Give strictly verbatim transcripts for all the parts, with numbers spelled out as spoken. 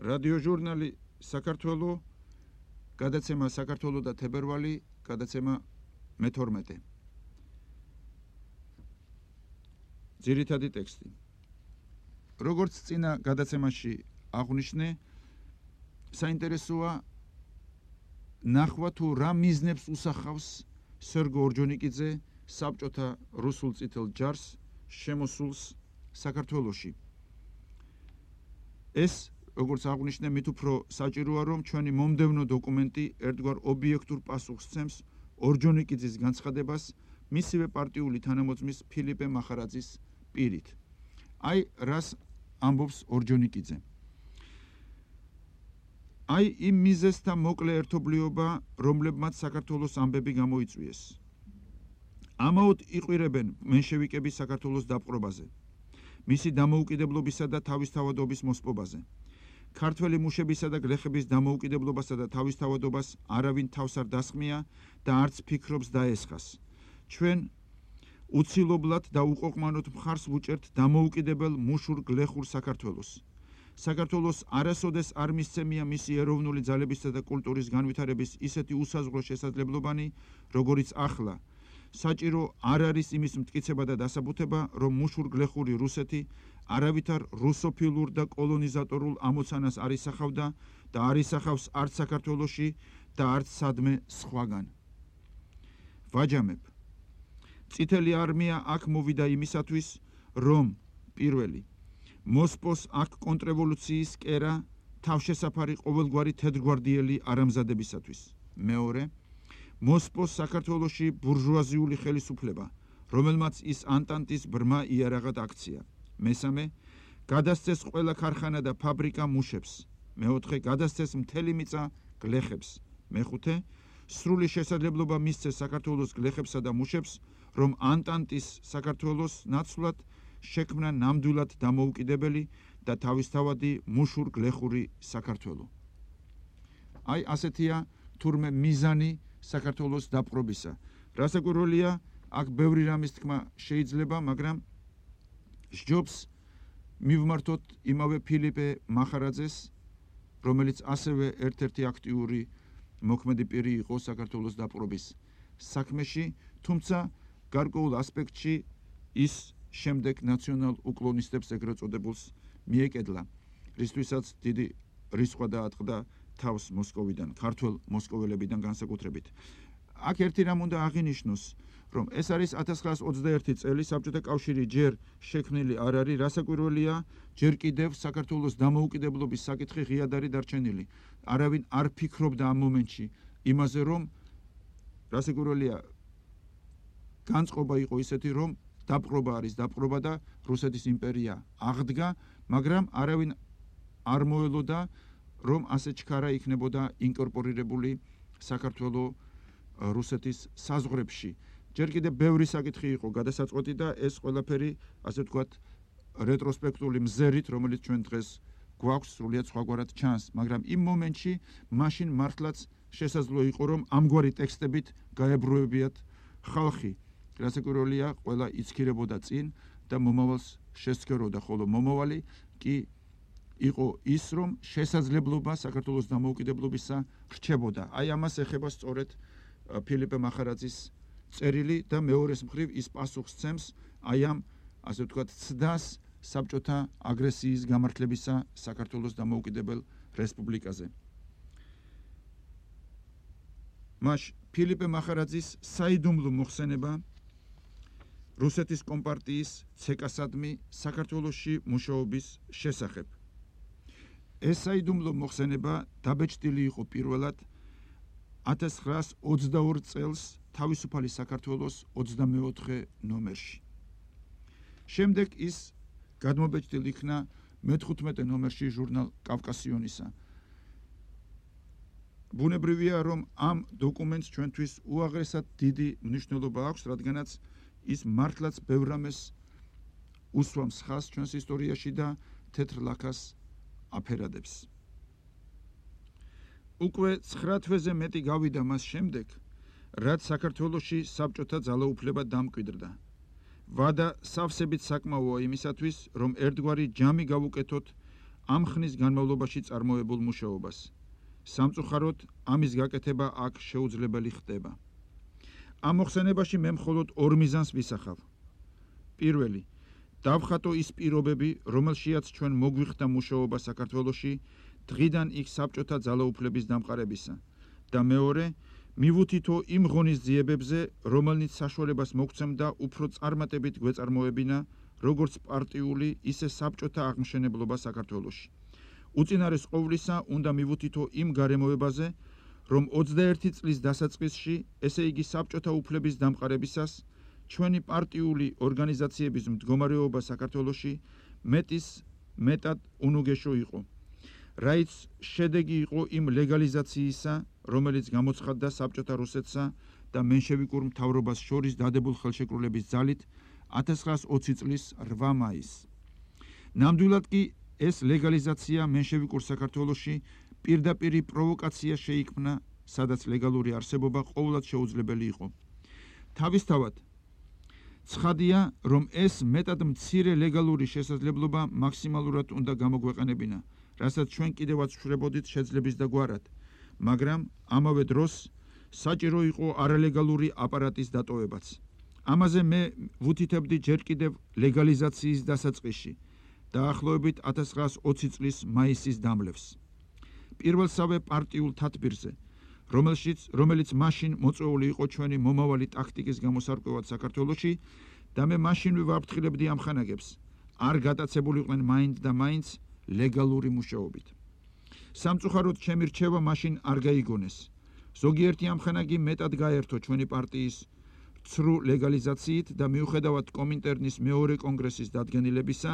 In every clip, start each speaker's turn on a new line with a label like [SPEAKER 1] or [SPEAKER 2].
[SPEAKER 1] რადიოჟურნალი საქართველო, გადაცემა საქართველო და თებერვალი, გადაცემა მეთორმეტე. ძირითადი ტექსტი. როგორც წინა გადაცემაში აღვნიშნე, საინტერესოა ნახვა თუ რა მიზნებს უსახავს სერგო ორჯონიკიძე საბჭოთა რუსულ წითელ ჯარს შემოსულს საქართველოში. ეს, როგორც აღვნიშნე, მით უფრო საჭიროა, რომ ჩვენი მომდევნო დოკუმენტი ერთგვარ ობიექტურ პასუხს სცემს ორჯონიკიძის განცხადებას მისივე პარტიული თანამოწმის ფილიპე მახარაძის პირით. აი, რას ამბობს ორჯონიკიძე. აი, იმ მიზეზთა მოკლე ერთობლიობა, რომლებმაც საქართველოს ამბები გამოიწვიეს. ამაოდ იყვირებენ მენშევიკები საქართველოს დაპყრობაზე, მისი დამოუკიდებლობისა და თავისთავადობის მოსპობაზე. ქართველი მუშებისა და გლეხების დამოუკიდებლობასა და თავისთავადობას არავინ თავს არ დასხმია და არც ფიქრობს დაესხას. ჩვენ უცილობლად და უყოყმანოდ მხარს ვუჭერთ დამოუკიდებელ მუშურ გლეხურ საქართველოს. საქართველოს არასოდეს არ მისცემია მისი ეროვნული ძალებისა და კულტურის განვითარების ისეთი უსაზღვრო შესაძლებლობანი, როგორიც ახლა. საჭირო არ არის იმის მტკიცება და დასაბუთება, რომ მუშურ გლეხური რუსეთი არავითარ რუსოფილურ და კოლონიზატორულ ამოცანას არ ისახავდა და არ ისახავს არც საქართველოში და არც სადმე სხვაგან. ვაჯამებ. წითელი არმია აქ მოვიდა იმისათვის, რომ პირველი მოსპოს აქ კონტრრევოლუციის კერა თავშესაფარი ყოველგვარი თეთრგვარდიელი არამზადებისათვის. მეორე მოსპოს საქართველოში ბურჟუაზიული ხელისუფლება, რომელმაც ის ანტანტის ბრმა იარაღად აქცია. მესამე გადასცეს ყველა ქარხანა და ფაბრიკა მუშებს. მეოთხე გადასცეს მთელი მიწა გლეხებს. მეხუთე სრული შესაძლებლობა მისცეს საქართველოს გლეხებსა და მუშებს, რომ ანტანტის საქართველოს ნაცვლად შექმნა ნამდვილად დამოუკიდებელი და თავისთავადი მუშურ გლეხური საქართველო. აი, ასეთია თურმე მიზანი საქართველოს დაპყრობისა. რასაკვირველია, აქ ბევრი რამის თქმა შეიძლება, მაგრამ სჯობს მივმართოთ იმავე ფილიპე მახარაძეს, რომელიც ასევე ერთ-ერთი აქტიური მოქმედი პირი იყო საქართველოს დაპყრობის საქმეში, თუმცა გარკვეულ ასპექტში ის შემდეგ ნაციონალ უკლონისტებს ეგრეთ წოდებულს მიეკედლა, რისთვისაც დიდი რისხვა დაატყდა თავს მოსკოვიდან, ქართველ მოსკოველებიდან განსაკუთრებით. აქ ერთი რამ უნდა აღინიშნოს, რომ ეს არის ათას ცხრაას ოცდაერთი წელი, საბჭოთა კავშირი ჯერ შექმნილი არ არის, რასაკვირველია, ჯერ კიდევ საქართველოს დამოუკიდებლობის საკითხი ღიად არის დარჩენილი. არავინ არ ფიქრობდა ამ მომენტში იმაზე, რომ რასაკვირველია, განწყობა იყო ისეთი, რომ დაპყრობა არის დაპყრობა და რუსეთის იმპერია აღდგა, მაგრამ არავინ არ მოელოდა, რომ ასე ჩქარა იქნებოდა ინკორპორირებული საქართველო რუსეთის საზღვრებში. ჯერ კიდევ ბევრი საკითხი იყო გადასაწყვეტი და ეს ყველაფერი, ასე ვთქვათ, რეტროსპექტული მზერით, რომელიც ჩვენ დღეს გვაქვს, სრულიად სხვაგვარად ჩანს, მაგრამ იმ მომენტში მაშინ მართლაც შესაძლო იყო, რომ ამგვარი ტექსტებით გაებრუებიათ ხალხი. რასაკვირველია, ყველა იცქირებოდა წინ და მომავალს შესცქეროდა, ხოლო მომავალი კი იყო ის, რომ შესაძლებლობა საქართველოს დამოუკიდებლობისა რჩებოდა. აი, ამას ეხება სწორედ ფილიპე მახარაძის წერილი და მეორეს მხრივ ის პასუხს სცემს აი ამ, ასე ვთქვათ, ცდას საბჭოთა აგრესიის გამართლებისა საქართველოს დამოუკიდებელ რესპუბლიკაზე. მაშ ფილიპე მახარაძის საიდუმლო მოხსენება რუსეთის კომპარტიის ცეკასადმი საქართველოში მუშაობის შესახებ. ეს საიდუმლო მოხსენება დაბეჭდილი იყო პირველად ათას ცხრაას ოცდაორ წელს თავისუფალი საქართველოს ოცდამეოთხე ნომერში. შემდეგ ის გადმობეჭდილ იქნა მეთხუთმეტე ნომერში ჟურნალ კავკასიონისა. ბუნებრივია, რომ ამ დოკუმენტს ჩვენთვის უაღრესად დიდი მნიშვნელობა აქვს, რადგანაც ის მართლაც ბევრ რამეს უსვამს ხაზს ჩვენს ისტორიაში და თეთრ ლაქას აფერადებს. უკვე ცხრა თვეზე მეტი გავიდა მას შემდეგ, რაც საქართველოში საბჭოთა ძალაუფლება დამკვიდრდა. ვადა სავსებით საკმაოა იმისათვის, რომ ერთგვარი ჯამი გავუკეთოთ ამ ხნის განმავლობაში წარმოებულ მუშაობას. სამწუხაროდ, ამის გაკეთება აქ შეუძლებელი ხდება. ამ მოხსენებაში მე მხოლოდ ორ მიზანს ვისახავ. პირველი, დავხატო ის პირობები, რომელშიაც ჩვენ მოგვიხდა მუშაობა საქართველოში დღიდან იქ საბჭოთა ძალაუფლების დამყარებისა და მეორე, მივუთითო იმ ღონისძიებებზე, რომელნიც საშუალებას მოგცემდა უფრო წარმატებით გვეწარმოებინა როგორც პარტიული, ისე საბჭოთა აღმშენებლობა საქართველოში. უწინარეს ყოვლისა უნდა მივუთითო იმ გარემოებაზე, რომ ოცდაერთი წლის დასაწყისში, ესე იგი საბჭოთა უფლების დამყარებისას, ჩვენი პარტიული ორგანიზაციების მდგომარეობა საქართველოში მეტის მეტად უნუგეშო იყო. რაიც შედეგი იყო იმ ლეგალიზაციისა, რომელიც გამოცხადდა საბჭოთა რუსეთსა და მენშევიკურ მთავრობას შორის დადებულ ხელშეკრულების ძალით ათას ცხრაას ოცი წლის რვა მაისს. ნამდვილად კი ეს ლეგალიზაცია მენშევიკურ საქართველოში პირდაპირი პროვოკაცია შეიქმნა, სადაც ლეგალური არსებობა ყოვლად შეუძლებელი იყო. თავისთავად, ცხადია, რომ ეს მეტად მცირე ლეგალური შესაძლებლობა მაქსიმალურად უნდა გამოგვეყენებინა, რასაც ჩვენ კიდევაც ვშვრებოდით შეძლების და გვარად, მაგრამ ამავე დროს საჭირო იყო არალეგალური აპარატის დატოვებაც. ამაზე მე ვუთითებდი ჯერ კიდევ ლეგალიზაციის დასაწყისში, დაახლოებით ათას ცხრაას ოცი წლის მაისის დამლევს. პირველსავე პარტიულ თათბირზე, რომელშიც რომელიც მაშინ მოწვეული იყო ჩვენი მომავალი ტაქტიკის გამოსარკვევად საქართველოში და მე მაშინვე ვაფრთხილებდი ამ ხანაგებს, არ გატაცებულიყვნენ მაინც და მაინც ლეგალური მუშაობით. სამწუხაროდ ჩემი რჩევა მაშინ არ გაიგონეს. ზოგიერთი ამხანაგი მეტად გაერთო ჩვენი პარტიის ცრუ ლეგალიზაციით და მიუხედავად კომინტერნის მეორე კონგრესის დადგენილებისა,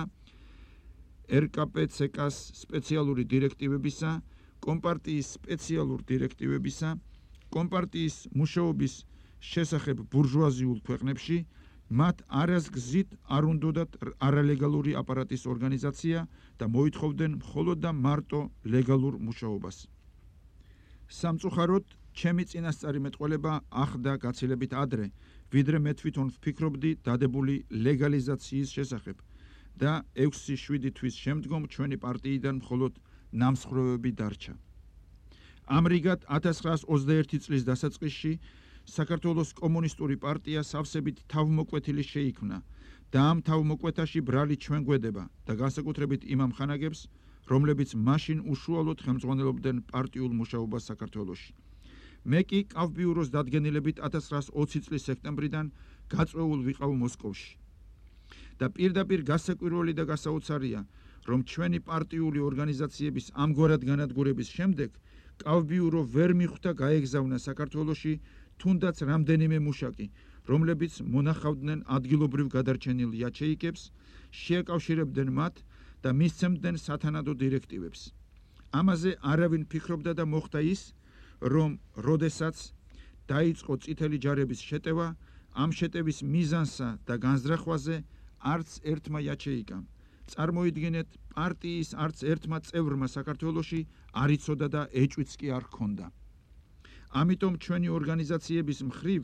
[SPEAKER 1] er ka pe ce kas სპეციალური დირექტივებისა, კომპარტიის სპეციალურ დირექტივებისა, კომპარტიის მუშაობის შესახებ ბურჟუაზიულ ქვეყნებში, მათ არასგზით არ უნდოდათ არალეგალური აპარატის ორგანიზაცია და მოითხოვდნენ მხოლოდ და მარტო ლეგალურ მუშაობას. სამწუხაროდ, ჩემი წინასწარი მეტყველება ახდა გაცილებით ადრე, ვიდრე მე თვითონ ვფიქრობდი დადებული ლეგალიზაციის შესახებ და ექვსი შვიდი თვის შემდგომ ჩვენი პარტიიდან მხოლოდ ნამსხვრევები დარჩა. ამრიგად ათას ცხრაას ოცდაერთი წლის დასაწყისში საქართველოს კომუნისტური პარტია სავსებით თავმოკვეთილი შეიქმნა და ამ თავმოკვეთაში ბრალი ჩვენ გვედება და განსაკუთრებით იმ ამხანაგებს, რომლებიც მაშინ უშუალოდ ხელმძღვანელობდნენ პარტიულ მუშაობას საქართველოში. მე კი კავბიუროს დადგენილებით ათას ცხრაას ოცი წლის სექტემბრიდან გაწვეულ ვიყავ მოსკოვში. და პირდაპირ გასაკვირველი და გასაოცარია, რომ ჩვენი პარტიული ორგანიზაციების ამგვარად განადგურების შემდეგ კავბიურო ვერ მიხვდა გაეგზავნა საქართველოში თუნდაც რამდენიმე მუშაკი, რომლებიც მონახავდნენ ადგილობრივ გადარჩენილ იაჩეიკებს, შეაკავშირებდნენ მათ და მისცემდნენ სათანადო დირექტივებს. ამაზე არავინ ფიქრობდა და მოხდა ის, რომ როდესაც დაიწყო წითელი ჯარების შეტევა, ამ შეტევის მიზანსა და განზრახვაზე არც ერთმა იაჩეიკამ, წარმოიდგინეთ, პარტიის არც ერთმა წევრმა საქართველოში არ იცოდა და ეჭვიც კი არ ჰქონდა. ამიტომ ჩვენი ორგანიზაციების მხრივ,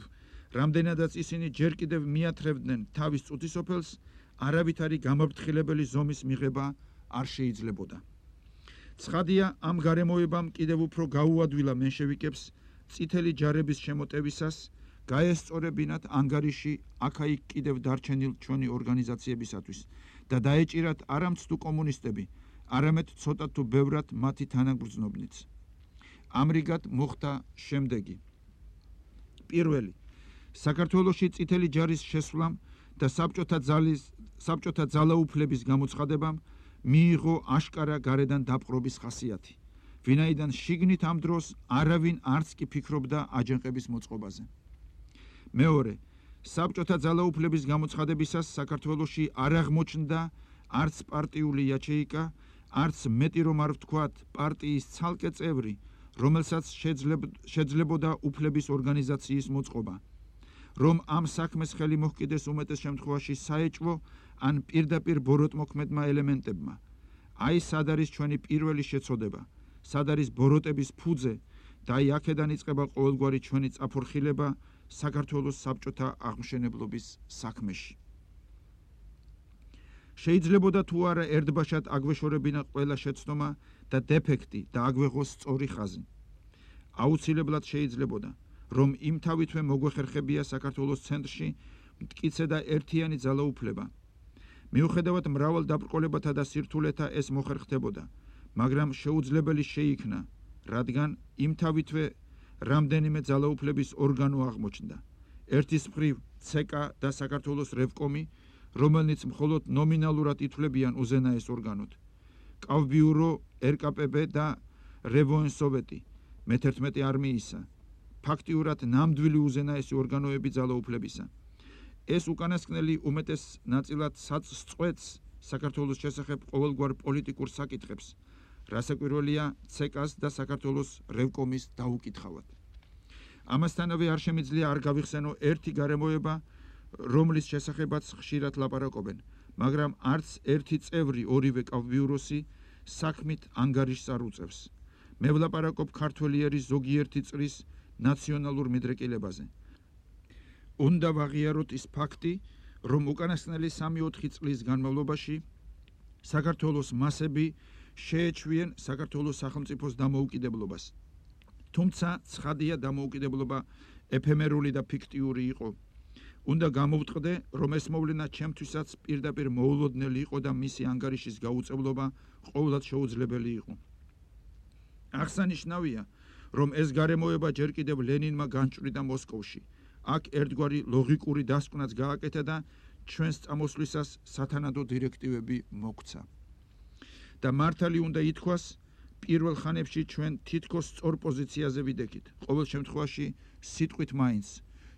[SPEAKER 1] რამდენადაც ისინი ჯერ კიდევ მიათრევდნენ თავის წუთისოფელს, არავითარი გამაფრთხილებელი ზომის მიღება არ შეიძლებოდა. ცხადია, ამ გარემოებამ კიდევ უფრო გაუადვილა მენშევიკებს წითელი ჯარების შემოტევისას, გაესწორებინათ ანგარიში აქა-იქ კიდევ დარჩენილ ჩვენი ორგანიზაციებისათვის და დაეჭირათ არამც თუ კომუნისტები, არამედ ცოტა თუ ბევრად მათი თანაგრძნობნიც. ამრიგად მოხდა შემდეგი. პირველი, საქართველოში წითელი ჯარის შესვლამ და საბჭოთა ძალის საბჭოთა ძალაუფლების გამოცხადებამ მიიღო აშკარა გარედან დაპყრობის ხასიათი, ვინაიდან შიგნით ამ დროს არავინ არც კი ფიქრობდა აჯანყების მოწყობაზე. მეორე, საბჭოთა ძალაუფლების გამოცხადებისას საქართველოში არ აღმოჩნდა არც პარტიული იაჩეიკა, არც მეტი რომ არ ვთქვათ პარტიის ცალკე წევრი, რომელსაც შეძლებოდა უფლების ორგანიზაციის მოწყობა, რომ ამ საქმეს ხელი მოჰკიდეს უმეტეს შემთხვევაში საეჭვო ან პირდაპირ ბოროტმოქმედმა ელემენტებმა. აი სად არის ჩვენი პირველი შეცოდება, სად არის ბოროტების ფუძე და აი აქედან იწყება ყოველგვარი ჩვენი წაფორხილება საქართველოს საბჭოთა აღმშენებლობის საქმეში. შეიძლებოდა თუ არა ერთბაშად აგვეშორებინა ყველა შეცდომა და დეფექტი და აგვეღოს სწორი ხაზი. აუცილებლად შეიძლებოდა, რომ იმთავითვე მოგვეხერხებია საქართველოს ცენტრში მტკიცე და ერთიანი ძალაუფლება. მიუხედავად მრავალ დაბრკოლებათა და სირთულეთა ეს მოხერხდებოდა, მაგრამ შეუძლებელი შეიქნა, რადგან იმთავითვე რამდენიმე ძალაუფლების ორგანო აღმოჩნდა. ერთის მხრივ ცეკა და საქართველოს რევკომი, რომელნიც მხოლოდ ნომინალურად ითვლებიან უზენაეს ორგანოდ. კავბიურო, რკპბ და რევოენსოვეტი, მეთერთმეტე არმიისა, ფაქტიურად ნამდვილი უზენაესი ორგანოები ძალაუფლებისა. ეს უკანასკნელი უმეტეს ნაწილად საწწყვეტს საქართველოს შესახებ ყოველგვარ პოლიტიკურ საკითხებს, რასაკვირველია ცეკას და საქართველოს რევკომის დაუკითხავად. ამასთანავე არ შემიძლია არ გავიხსენო ერთი გარემოება, რომლის შესახებაც ხშირად ლაპარაკობენ, მაგრამ არც ერთი წევრი ორივე კავბიუროსი საქმით ანგარიშს არ უწევს. მე ვლაპარაკობ ქართველი ერის ზოგიერთი წრის ნაციონალურ მიდრეკილებაზე. უნდა ვაღიაროთ ის ფაქტი, რომ უკანასკნელი სამი-ოთხი წლის განმავლობაში საქართველოს მასები შეეჩვიენ საქართველოს სახელმწიფოს დამოუკიდებლობას. თუმცა ცხადია დამოუკიდებლობა ეფემერული და ფიქტიური იყო. უნდა გამოვტყდე, რომ ეს მოვლენა ჩემთვისაც პირდაპირ მოულოდნელი იყო და მისი ანგარიშის გაუწევლობა ყოველად შეუძლებელი იყო. აღსანიშნავია, რომ ეს გარემოება ჯერ კიდევ ლენინმა განჭვრიდა მოსკოვში. აქ ერთგვარი ლოგიკური დასკვნაც გააკეთა და ჩვენს წამოსვლისას სათანადო დირექტივები მოგცა. და მართალი უნდა ითქვას, პირველ ხანებში ჩვენ თითქოს სწორ პოზიციაზე ვიდექით. ყოველ შემთხვევაში სიტყვით მაინც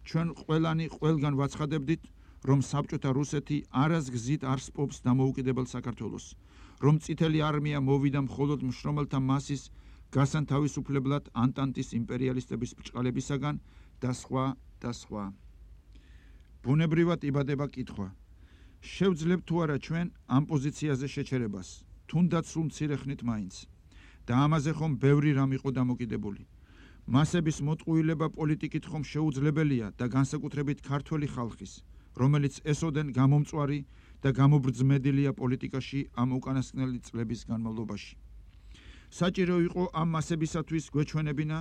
[SPEAKER 1] ჩვენ ყველანი ყველგან ვაცხადებდით, რომ საბჭოთა რუსეთი არასგზით არ სპობს დამოუკიდებელ საქართველოს, რომ წითელი არმია მოვიდა მხოლოდ მშრომელთა მასის გასანთავისუფლებლად ანტანტის იმპერიალისტების ბრჭყალებისაგან და სხვა და სხვა. ბუნებრივად იბადება კითხვა. შევძლებთ თუ არა ჩვენ ამ პოზიციაზე შეჩერებას, თუნდაც სულ მცირე ხნით მაინც. და ამაზე ხომ ბევრი რამ იყო დამოკიდებული. მასების მოტყუილება პოლიტიკით ხომ შეუძლებელია და განსაკუთრებით ქართველი ხალხის, რომელიც ესოდენ გამომწვარი და გამობრძმედილია პოლიტიკაში ამ უკანასკნელი წლების განმავლობაში. საჭირო იყო ამ მასებისათვის გვეჩვენებინა,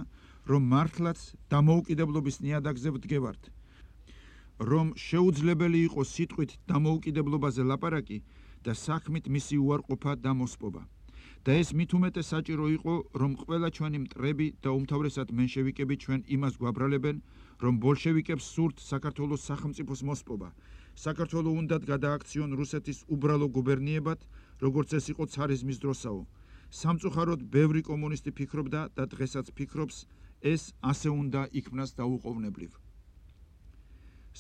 [SPEAKER 1] რომ მართლაც დამოუკიდებლობის ნიადაგზე ვდგევართ, რომ შეუძლებელი იყო სიტყვით დამოუკიდებლობაზე ლაპარაკი და საქმით მისი უარყოფა და მოსპობა. და ეს მით უმეტეს საჭირო იყო, რომ ყველა ჩვენი მტრები და უმთავრესად მენშევიკები ჩვენ იმას გვაბრალებენ, რომ ბოლშევიკებს სურთ საქართველოს სახელმწიფოს მოსპობა. საქართველო უნდათ გადააქციონ რუსეთის უბრალო გუბერნიებად, როგორც ეს იყო ცარიზმის დროსაო. სამწუხაროდ ბევრი კომუნისტი ფიქრობდა და დღესაც ფიქრობს, ეს ასე უნდა იქმნას დაუყოვნებლივ.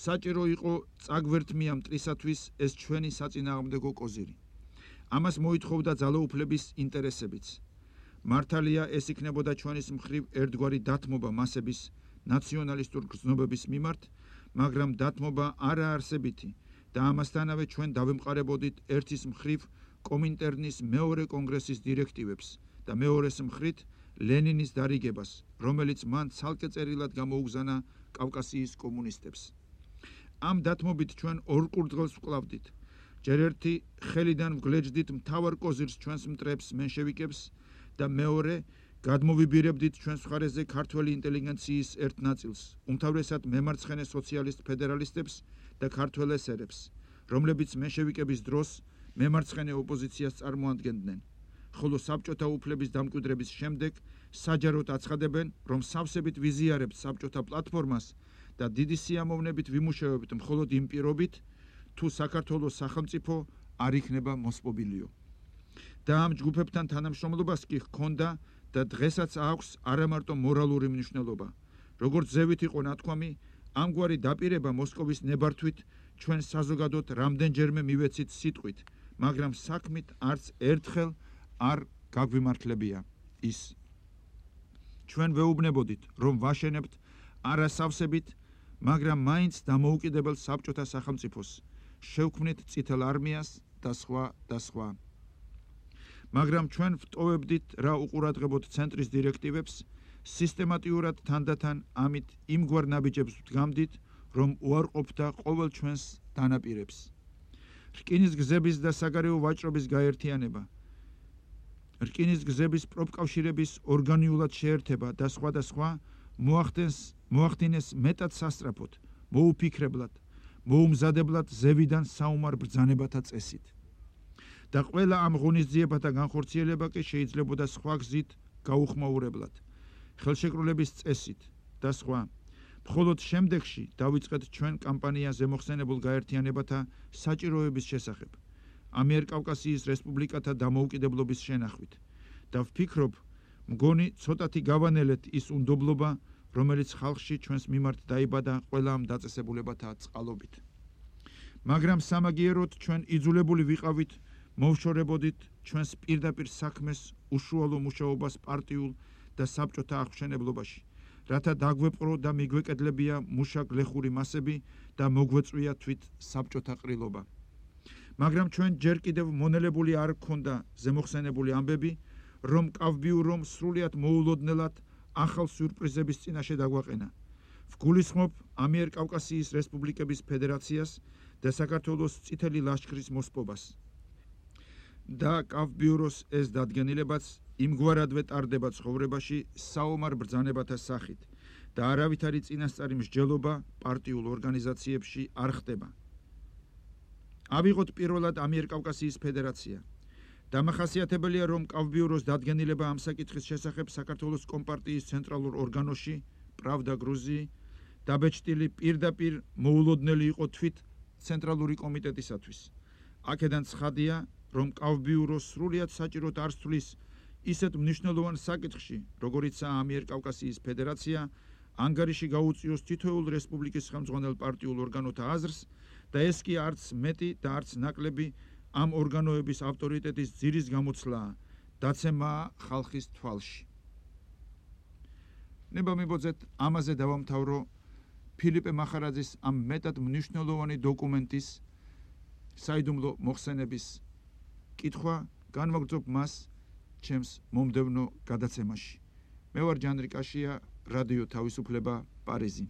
[SPEAKER 1] საჭირო იყო წაგვერთმია მტრისათვის ეს ჩვენი საწინააღმდეგო კოზირი. ამას მოითხოვდა ძალაუფლების ინტერესებიც. მართალია ეს იქნებოდა ჩვენის მხრივ ერთგვარი დათმობა მასების ნაციონალისტურ გრძნობების მიმართ, მაგრამ დათმობა არაარსებითი და ამასთანავე ჩვენ დავემყარებოდით ერთის მხრივ კომინტერნის მეორე კონგრესის დირექტივებს და მეორეს მხრით ლენინის დარიგებას, რომელიც მან ცალკე წერილად გამოუგზანა კავკასიის კომუნისტებს. ამ დათმობით ჩვენ ორ კურდღელს ვკლავდით. ჯერ ერთი ხელიდან ვგლეჯდით მთავარ კოზირს ჩვენს მტრებს მენშევიკებს და მეორე გადმოვიბირებდით ჩვენს მხარეზე ქართველი ინტელიგენციის ერთ ნაწილს, უმთავრესად მემარცხენე სოციალისტ ფედერალისტებს და ქართველ ესერებს, რომლებიც მენშევიკების დროს მემარცხენე ოპოზიციას წარმოადგენდნენ, ხოლო საბჭოთა უფლების დამკვიდრების შემდეგ საჯაროდ აცხადებენ, რომ სავსებით ვიზიარებთ საბჭოთა პლატფორმას და დიდი სიამოვნებით ვიმუშავებთ მხოლოდ იმ პირობით, თუ საქართველოს სახელმწიფო არ იქნება მოსპობილიო. და ამ ჯგუფებთან თანამშრომლობას კი ჰქონდა და დღესაც აქვს არამარტო მორალური მნიშვნელობა. როგორც ზევით იყო ნათქვამი, ამგვარი დაპირება მოსკოვის ნებართვით ჩვენ საზოგადოდ რამდენჯერმე მივეცით სიტყვით, მაგრამ საქმით არც ერთხელ არ გაგვიმართლებია ის. ჩვენ ვეუბნებოდით, რომ ვაშენებთ არასავსებით, მაგრამ მაინც დამოუკიდებელ საბჭოთა სახელმწიფოს, შევქმნით წითელ არმიას და სხვა და სხვა. მაგრამ ჩვენ ვტოვებდით რა უყურადღებოდ ცენტრის დირექტივებს, სისტემატიურად თანდათან ამით იმგვარ ნაბიჯებს ვდგამდით, რომ უარყოფდა ყოველ ჩვენს დანაპირებს. რკინის გზების და საგარეო ვაჭრობის გაერთიანება, რკინის გზების პროფკავშირების ორგანიულად შეერთება და სხვა და სხვა მოახდენს მოახდინეს მეტად სასწრაფოდ, მოუფიქრებლად, მოუმზადებლად ზევიდან საომარ ბრძანებათა წესით. და ყველა ამ ღონისძიებათა განხორციელება კი შეიძლებოდა სხვა გზით გაუხმაურებლად, ხელშეკრულების წესით და სხვა. მხოლოდ შემდეგში დავიწყეთ ჩვენ კამპანიაზე მოხსენებულ გაერთიანებათა საჭიროების შესახებ, ამიერკავკასიის რესპუბლიკათა დამოუკიდებლობის შენახვით და ვფიქრობ, მგონი ცოტათი გავანელეთ ის უნდობლობა, რომელიც ხალხში ჩვენს მიმართ დაიბადა ყველა ამ დაწესებულებათა წყალობით. მაგრამ სამაგიეროდ ჩვენ იძულებული ვიყავით მოვშორებოდით ჩვენს პირდაპირ საქმეს უშუალო მუშაობას პარტიულ და საბჭოთა აღმშენებლობაში, რათა დაგვეპყრო და მიგვეკედლებია მუშა-გლეხური მასები და მოგვეწვია თვით საბჭოთა ყრილობა. მაგრამ ჩვენ ჯერ კიდევ მონელებული არ გქონდა ზემოხსენებული ამბები, რომ კავბიურომ სრულიად მოულოდნელად ახალ სიურპრიზების წინაშე დაგვაყენა. ვგულისხმობ ამიერკავკასიის რესპუბლიკების ფედერაციას და საქართველოს წითელი ლაშქრის მოსპობას. და კავბიუროს ეს დადგენილებაც იმგვარადვე ტარდება ცხოვრებაში საომარ ბრძანებათა სახით და არავითარი წინასწარი მსჯელობა პარტიულ ორგანიზაციებში არ ხდება. ავიღოთ პირველად ამიერკავკასიის ფედერაცია. დამახასიათებელია, რომ კავბიუროს დადგენილება ამ საკითხის შესახებ საქართველოს კომპარტიის ცენტრალურ ორგანოში პრავდა გრუზიი დაბეჭდილი პირდაპირ მოულოდნელი იყო თვით ცენტრალური კომიტეტისათვის. აქედან ცხადია, რომ კავბიურო სრულიად საჭიროდ არ სთვლის ისეთ მნიშვნელოვან საკითხში, როგორიცაა ამიერკავკასიის ფედერაცია, ანგარიში გაუწიოს თითოეულ რესპუბლიკის ხელმძღვანელ პარტიულ ორგანოთა აზრს და ეს კი არც მეტი და არც ნაკლები ამ ორგანოების ავტორიტეტის ძირის გამოცვლაა, დაცემაა ხალხის თვალში. ნება მიბოძეთ, ამაზე დავამთავრო ფილიპე მახარაძის ამ მეტად მნიშვნელოვანი დოკუმენტის საიდუმლო მოხსენების კითხვა, განვაგრძობ მას ჩემს მომდევნო გადაცემაში. მე ვარ ჯანრი კაშია, რადიო თავისუფლება, პარიზი.